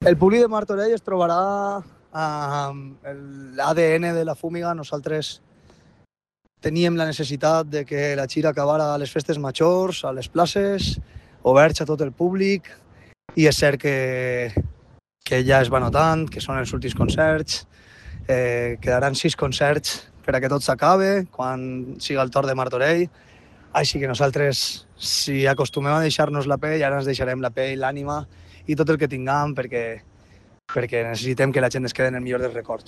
El públic de Martorell es trobarà amb l'ADN de la Fúmiga. Nosaltres teníem la necessitat de que la gira acabara a les festes majors, a les places, oberts a tot el públic, i és cert que ja es va notant, que són els últims concerts. Quedaran 6 concerts per a que tot s'acabe, quan siga el torn de Martorell. Així que nosaltres, si acostumem a deixar-nos la pell, ara ens deixarem la pell, l'ànima i tot el que tinguem, perquè necessitem que la gent es quedi en el millor dels records.